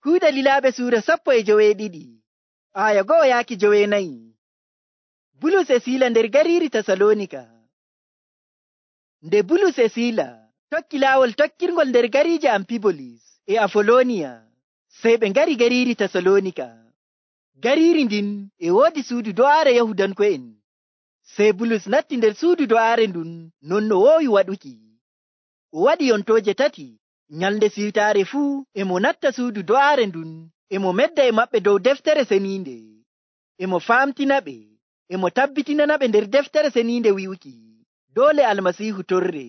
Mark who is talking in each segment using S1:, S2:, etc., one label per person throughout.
S1: Kuuɗe Lilaaɓe suura 12 aya 1 yaaki 9. Bulus e Siila nder gariiri Tasaloonika. Nde Bulus e Siila tokki laawol tokkirngol nder gariije Amfibolis e Afoloniya, sey ɓe ngari gariiri Tasaloonika. Gariiri ndin e woodi suudu do'aare Yahudanko'en. Sey Bulus natti nder suudu do'aare ndun non no woowi waɗuki. O waɗi yontooje 3. Nyalnde siwtaare fuu e mo natta suudu do'aare ndun, e mo medda e maɓɓe dow deftere seniinde, e mo faamtinaɓe, e mo tabbitinanaɓe nder deftere seniinde wi'uki doole Almasiihu torre,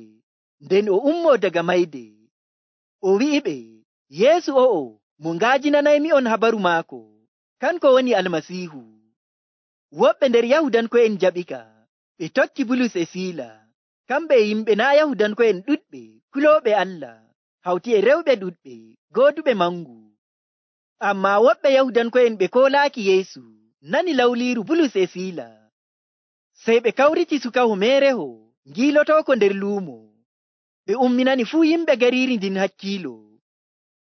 S1: nden o ummoo daga mayde. O wi'iɓe Yeesu o'o mo nga'ajinanaymi'on habaru maako, kanko woni Almasiihu. Woɓɓe nder Yahudanko'en jaɓika, ɓe tokki Bulus e Siila. Kamɓe e yimɓe naa' Yahudanko'en ɗuɗɓe kulooɓe Allah, hawti e rewɓe ɗuɗɓe gooduɓe mangu. Ammaa woɓɓe Yahudanko'en ɓe koolaaki Yeesu nani lawliiru Bulus e Siila. Sey ɓe kawriti sukaho meereho ngiilotooko nder luumo. Ɓe umminani fuu yimɓe gariiri ndin hakkiilo.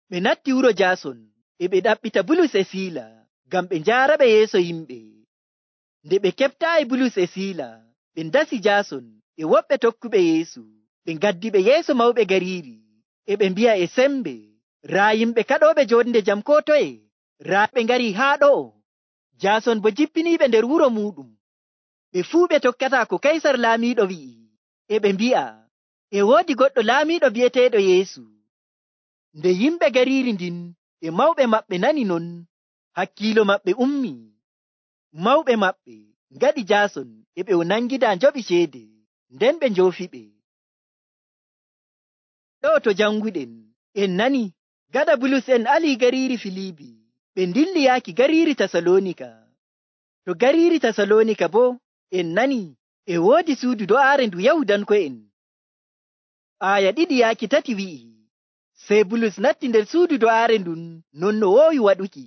S1: Ɓe natti wuro Jaason, e ɓe ɗaɓɓita Bulus e Siila ngam ɓe njaaraɓe yeeso yimɓe. Nde ɓe keɓtaayi Bulus e Siila, ɓe ndasi Jaason e woɓɓe tokkuɓe Yeesu. Ɓe ngaddiɓe yeeso mawɓe gariiri, e ɓe mbi'a e sembe, raa yimɓe kaɗooɓe jonde jam koo toye, raa ɓe ngarii haa ɗo'o. Jaason bo jippiniiɓe nder wuro muuɗum. Ɓe fuu ɓe tokkataa ko Kaysar laamiiɗo wi'i, e ɓe mbi'a e woodi goɗɗo laamiiɗo bi'eteeɗo Yeesu. Nde yimɓe gariiri ndin e mawɓe maɓɓe nani non, hakkiilo maɓɓe ummi. Mawɓe maɓɓe ngaɗi Jaason e ɓe o nangidaa njoɓi ceede, nden ɓe njoofiɓe. Ɗo to janguɗen en nani gaɗa Bulus en alii gariiri Filiibi, ɓe ndilli yaaki gariiri Tasaloonika. To gariiri Tasaloonika boo en nani e woodi suudu do'aare ndu Yahudanko'en. Aya 2 yaaki 3 wi'i, sey Bulus natti nder suudu do'aare ndun non no woowi waɗuki.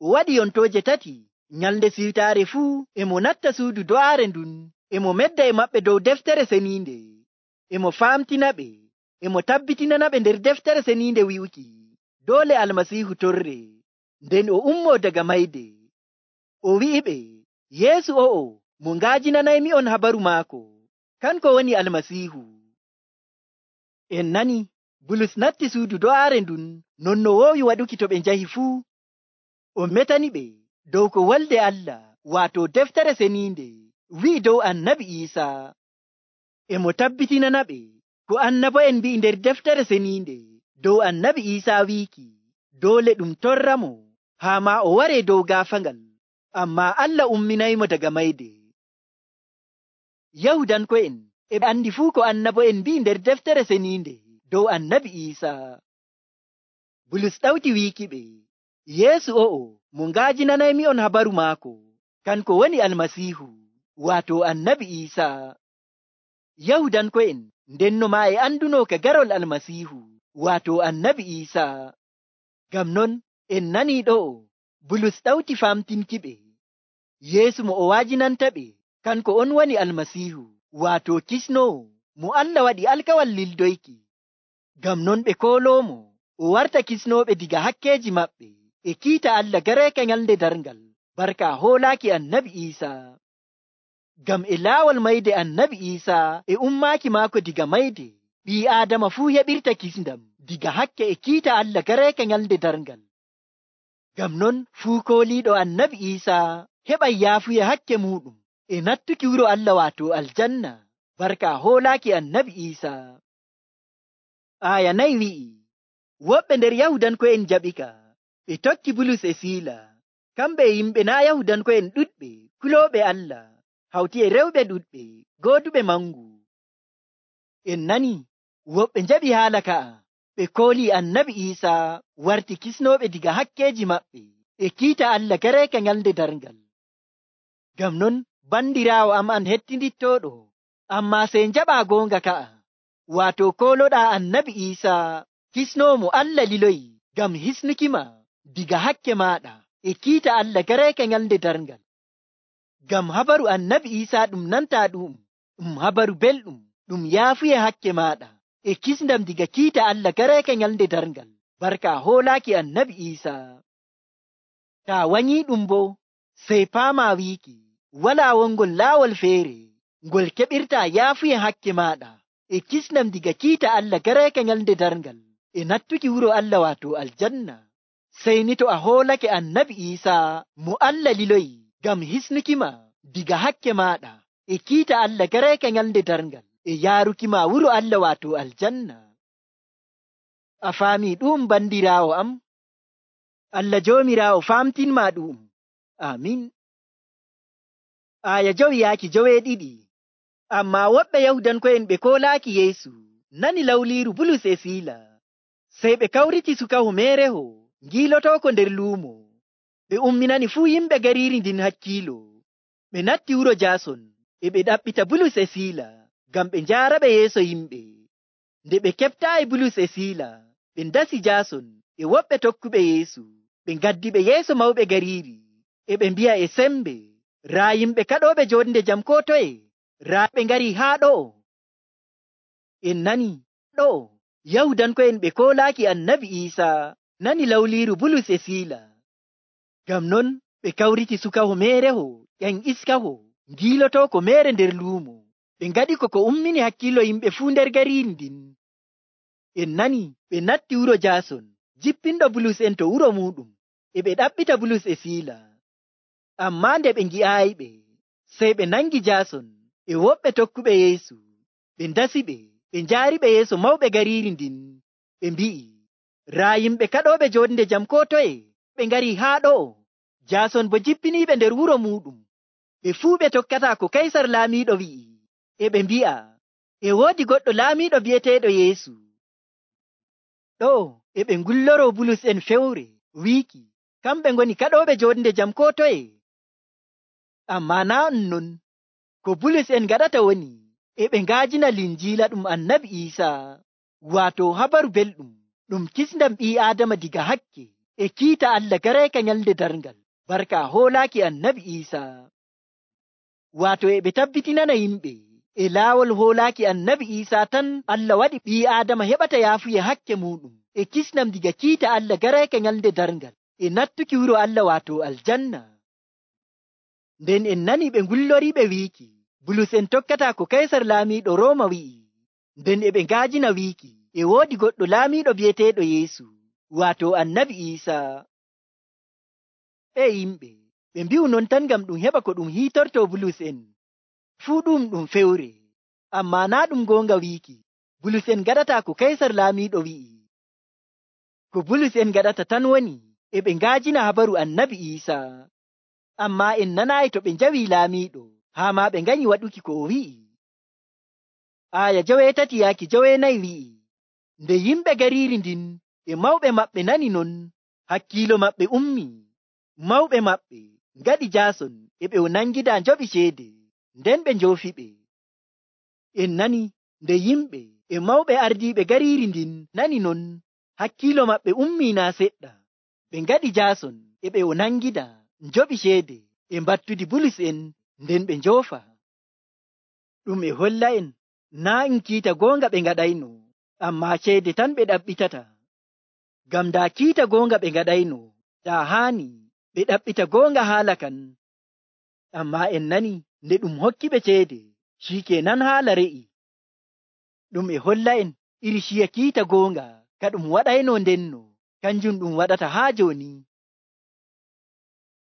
S1: O waɗi yontooje 3. Nyalnde siwtaare fuu e mo natta suudu do'aare ndun, e mo medda e maɓɓe dow deftere seniinde, e mo faamtinaɓe, e mo tabbitinanaɓe nder deftere seniinde wi'uki doole Almasiihu torre, nden o ummoo daga mayde. O wi'iɓe Yeesu o'o mo nga'ajinanaymi'on habaru maako, kanko woni Almasiihu. En nani Bulus natti suudu do'aare ndun non no woowi waɗuki to ɓe njahi fuu. O metaniɓe dow ko Wolde Allah, waato deftere seniinde, wi'i dow Annabi Iisaa. E mo tabbitinanaɓe ko annabo'en mbi'i nder deftere seniinde dow Annabi Iisaa wiiki doole ɗum torramo haa maa o waree dow gaafaangal, ammaa Allah umminaymo daga mayde. Yahudanko'en e ɓe andi fuu ko annabo'en mbi'i nder deftere seniinde dow Annabi Iisaa. Bulus ɗawti wiikiɓe Yeesu o'o mo nga'ajinanaymi'on habaru maako, kanko woni Almasiihu, waato Annabi Iisaa. Yahudanko'en ndenno maa e andunoo ka garol Almasiihu, waato Annabi Iisaa. Ngam non en nanii ɗo'o Bulus ɗawti famtinkiɓe Yeesu mo o wa'ajinantaɓe kanko on woni Almasiihu, waato kisnoowo mo Allah waɗi alkawal lildoyki. Ngam non ɓe kooloomo o warta kisnooɓe diga hakkeeji maɓɓe e kiita Allah gareeka nyalnde darngal, barka hoolaaki Annabi Iisaa. Ngam e laawol mayde Annabi Iisaa e ummaaki maako diga mayde, ɓii Aadama fuu heɓirta kisndam diga hakke e kiita Allah gareeka nyalnde darngal. Ngam non fuu kooliiɗo Annabi Iisaa heɓay yaafuya hakke muuɗum e nattuki wuro Allah waato aljanna, barka hoolaaki Annabi Iisaa. Aya 4 wi'i, woɓɓe nder Yahudanko'en jaɓika, ɓe tokki Bulus e Siila. Kamɓe e yimɓe naa' Yahudanko'en ɗuɗɓe kulooɓe Allah, hawti e rewɓe ɗuɗɓe gooduɓe mangu. En nani woɓɓe njaɓi haala ka'a, ɓe koolii Annabi Iisaa warti kisnooɓe diga hakkeeji maɓɓe e kiita Allah gareeka nyalnde darngal. Ngam non bandiraawo am an hettindittooɗo, ammaa sey njaɓaa goonga ka'a, waato kooloɗaa Annabi Iisaa kisnoowo mo Allah liloyi ngam hisnukima diga hakke maaɗa e kiita Allah gareeka nyalnde darngal. Ngam habaru Annabi Iisaa ɗum nantaa ɗum habaru belɗum ɗum yaafuye hakke maaɗa e kisndam diga kiita Allah gareeka nyalnde darngal, barka hoolaaki annabi Iisaa. Taa wanyii ɗum bo, sey paamaa wiiki walaa wongol laawol feere ngol keɓirtaa yaafuye hakke maaɗa e kisnam diga kiita Allah gareeka nyalnde darngal e nattuki wuro Allah waato aljanna. Sey ni to a hoolake annabi Iisaa mo Allah liloyi ngam hisnukima diga hakke maaɗa e kiita Allah gareeka nyalnde darngal e yaarukima wuro Allah waato aljanna. A faamii ɗum bandiraawo am? Allah Joomiraawo faamtinmaa ɗum. Amin. Aya 2:2. Ammaa woɓɓe Yahudanko'en ɓe koolaaki Yeesu nani lawliiru Bulus e Siila. Sey ɓe kawriti sukaho meereho ngiilotooko nder luumo. Ɓe umminani fuu yimɓe gariiri ndin hakkiilo. Ɓe natti wuro Jaason e ɓe ɗaɓɓita Bulus e Siila ngam ɓe njaaraɓe yeeso yimɓe. Nde ɓe keɓtaayi Bulus e Siila, ɓe ndasi Jaason e woɓɓe tokkuɓe Yeesu. Ɓe ngaddi ɓe yeeso mawɓe gariiri e ɓe mbi'a e sembe, raa yimɓe kaɗooɓe jonde jam koo toye, raa ɓe ngarii haa ɗo'o. En nani ɗo'o Yahudanko'en ɓe koolaaki annabi Iisaa nani lawliiru Bulus e Siila. Ngam non ɓe kawriti sukaho meereho ƴan iskaho ngiilotooko meere nder luumo. Ɓe ngaɗi ko ummini hakkiilo yimɓe fuu nder gariiri ndin. En nani ɓe natti wuro Jaason jippinɗo Bulus en to wuro muuɗum, e ɓe ɗaɓɓita Bulus e Siila. Ammaa nde ɓe ngi'aayiɓe, sey ɓe nangi Jaason e woɓɓe tokkuɓe Yeesu. Ɓe ndasiɓe, ɓe njaariɓe yeeso mawɓe gariiri ndin. Ɓe mbi'i, raa yimɓe kaɗooɓe jonde jam koo toye, ɓe ngarii haa ɗo'o. Jaason bo jippiniiɓe nder wuro muuɗum. Ɓe fuu ɓe tokkataa ko Kaysar laamiiɗo wi'i, e ɓe mbi'a, e woodi goɗɗo laamiiɗo bi'eteeɗo Yeesu. Ɗo'o e ɓe ngulloroo Bulus en fewre wiiki kamɓe ngoni kaɗooɓe jonde jam koo toye. Ammaa naa non, ko Bulus en ngaɗata woni e ɓe ngaajina linjiila ɗum annabi Iisaa, waato habaru belɗum ɗum kisndam ɓii Aadama diga hakke e kiita Allah gareeka nyalnde darngal, barka hoolaaki annabi Iisaa. Waato e ɓe tabbitinana yimɓe e laawol hoolaaki annabi Iisaa tan Allah waɗi ɓii Aadama heɓata yaafuye hakke muuɗum e kisnam diga kiita Allah gareeka nyalnde darngal e nattuki wuro Allah waato aljanna. Nden en nani ɓe ngulloriiɓe wiiki Bulus en tokkataa ko Kaysar laamiiɗo Rooma wi'i. Nden e ɓe ngaajina wiiki e woodi goɗɗo laamiiɗo bi'eteeɗo Yeesu, waato annabi Iisaa. E yimɓe, ɓe mbi'u non tan ngam ɗum heɓa ko ɗum hiitortoo Bulus en. Fuu ɗum fewre, ammaa naa ɗum goonga wiiki Bulus en gaɗataa ko Kaysar laamiiɗo wi'i. Ko Bulus en gaɗata tan woni e ɓe ngaajina habaru annabi Iisaa. Ammaa en nanaayi to ɓe njawii laamiiɗo, haa maa ɓe nganyi waɗuki ko o wi'i. Aya 3:4 wi'i, nde yimɓe gariiri ndin e mawɓe maɓɓe nani non, hakkiilo maɓɓe ummi. Mawɓe maɓɓe ngaɗi Jaason e ɓe nangidaa njoɓi ceede, nden ɓe njoofiɓe. En nani nde yimɓe e mawɓe ardiiɓe gariiri ndin nani non, hakkiilo maɓɓe ummii naa seɗɗa. Ɓe ngaɗi Jaason e ɓe nangida njoɓi ceede e mbattudi Bulus en, nden ɓe njoofa. Ɗum e holla en naa en kiita goonga ɓe ngaɗayno, ammaa ceede tan ɓe ɗaɓɓitata. Ngam daa kiita goonga ɓe ngaɗayno, daa haani ɓe ɗaɓɓita goonga haala kan. Ammaa en nani nde ɗum hokki ɓe ceede, shikenan haala re'i. Ɗum e holla en iri ciya kiita goonga ka ɗum waɗayno ndenno, kanjum ɗum waɗata haa jooni.